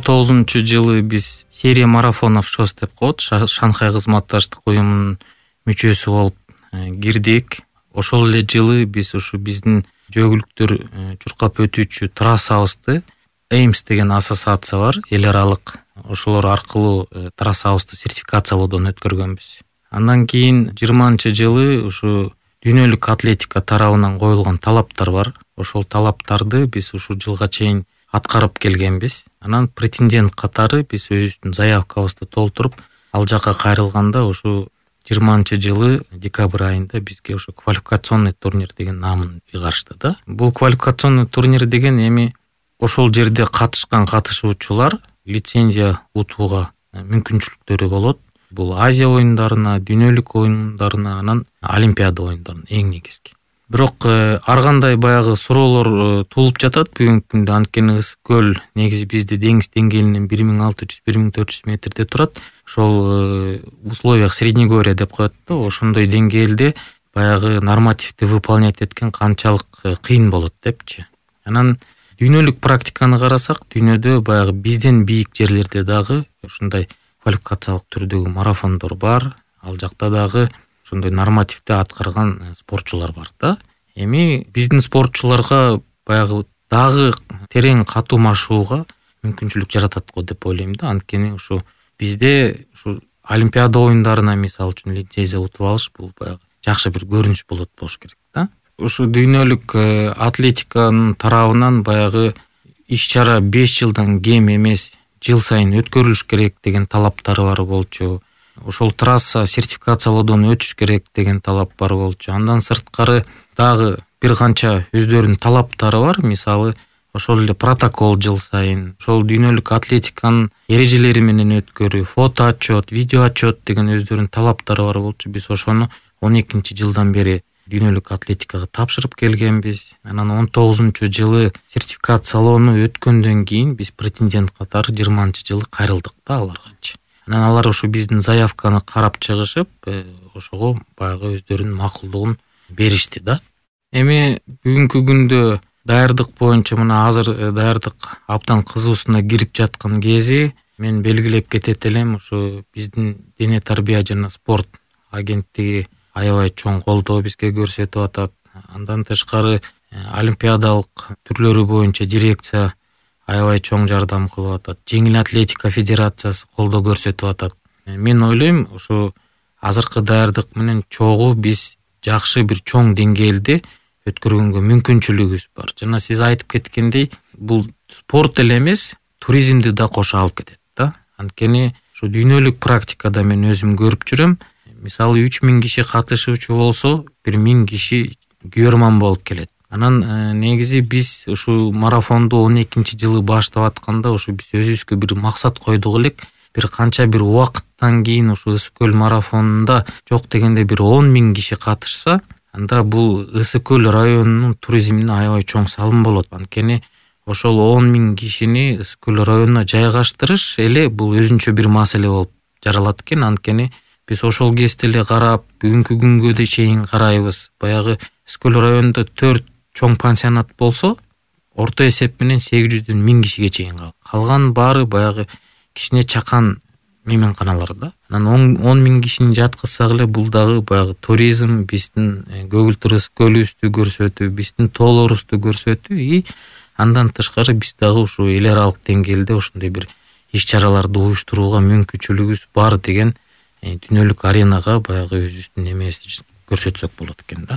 2019-жылы биз серия марафонов ШОС деп коет, Шанхай кызматташтык уюмунун мүчөсү болуп кирдик. Ошол эле жылы биз ушу биздин жөгүлүктөр чуркап өтүүчү трассабызды AIMS деген ассоциация бар, эл аралык. Ошолор аркылуу трассабызды сертификациялоодон өткөргөнбүз. Андан кийин 20-жылы ушу дүйнөлүк атлетика тарабынан коюлган талаптар бар. Ошол талаптарды биз ушул жылга чейин аткарып келгенбиз. Анан претендент катары биз өзүбүздүн заявкабызды толтуруп, ал жака кайрылганда ушу 20-жылы декабрь айында бизге ошо квалификационный турнир деген намын ыйгарышты да. Бул квалификационный турнир деген эми ошол жерде катышкан катышуучулар лицензия утууга мүмкүнчүлүктөрү болот. Бул Азия оюндарына, дүйнөлүк оюндарына, анан Олимпиада оюндарына эң негизги. Бирок ар кандай баягы суроолор туулуп жатат бүгүнкү күндө. Анткени Ысык көл негизи бизде деңиз деңгээлинен 1600-1400 метрде турат. Ошол условиях Среднегорья деп коет да, ошондой деңгээлде баягы нормативди выполнять эткен канчалык кыйын болот депчи. Анан дүйнөлүк практиканы карасак, дүйнөдө баягы бизден бийик жерлерде дагы ушундай квалификациялык түрдөгү марафондор бар. Ал жакта дагы ошондой нормативди аткарган спортчулар бар да. Эми биздин спортчуларга баягы дагы терең катуумашууга мүмкүнчүлүк жаратат го деп ойлойм да. Анткени ушу бизде ушу Олимпиада оюндарына мисалы үчүн лицензия утуп алыш бул баягы жакшы бир көрүнүш болот керек да. Ушу дүйнөлүк атлетиканын тарабынан баягы иш-чара 5 жылдан кем эмес, жыл сайын өткөрүлүш керек деген талаптары бар болчу. Ошол трасса сертификациялоодон өтүш керек деген талап бар болчу. Андан сырткары дагы бир канча өздөрүнүн талаптары бар. Мисалы, ошол эле протокол жыл сайын, ошол дүйнөлүк атлетиканын эрежелери менен өткөрүү, фото отчет, видео отчет деген өздөрүнүн талаптары бар болчу. Биз ошону 12-жылдан бери дүйнөлүк атлетикага тапшырып келгенбиз. Анан 19-жылы сертификациялоону өткөндөн кийин биз претендент катары 20-жылы кайрылдык да аларгачы. Анан алар ушу биздин заявканы карап чыгышып, ошого баягы өздөрүнүн макулдугун беришти да. Эми бүгүнкү күндө даярдык боюнча мына азыр даярдык абдан кызуусуна кирип жаткан кези, мен белгилеп кетет элем, ушу биздин дене тарбия жана спорт агенттиги аябай чоң колдоо бизге көрсөтүп атат. Андан тышкары олимпиадалык түрлөрү боюнча дирекция аябай чоң жардам кылып атат. Жеңил атлетика федерациясы колдоо көрсөтүп атат. Мен ойлойм, ушу азыркы даярдык менен чогуу биз жакшы бир чоң деңгээлде өткөргөнгө мүмкүнчүлүгүбүз бар. Жана сиз айтып кеткендей, бул спорт эле эмес, туризмди да кошо алып кетет да. Анткени ушу дүйнөлүк практикада мен өзүм көрүп жүрөм. Мисалы 3000 киши катышуучу болсо, 1000 киши көрман болуп келет. Анан негизи биз ушу марафонду 12-жылы баштап атканда ушу биз өзүбүзгө бир максат койдук элек. Бир канча бир убакыттан кийин ушу Ысык көл марафонунда жок дегенде бир 10.000 киши катышса, анда бул Ысык көл районунун туризмине аябай чоң салым болот. Анткени ошол 10.000 кишини Ысык көл районуна жайгаштырыш эле бул өзүнчө бир маселе болуп жаралат экен. Анткени биз ошол кезде эле карап, бүгүнкү күнгө да чейин карайбыз. Баягы Ысык көл районунда 4 чоң пансионат болсо, орто эсеп менен 800дөн 1000 кишиге чейин калган баары баягы кичине чакан мейманканалар да. Анан 10.000 кишини жаткызсак эле бул дагы баягы туризм, биздин көгүлтүр Ысык көлүбүздү көрсөтүү, биздин тоолорубузду көрсөтүү и андан тышкары биз дагы ушу эл аралык деңгээлде ушундай бир иш-чараларды уюштурууга мүмкүнчүлүгүбүз бар деген дүйнөлүк аренага баягы өзүбүздүн эмебизди көрсөтсөк болот экен да.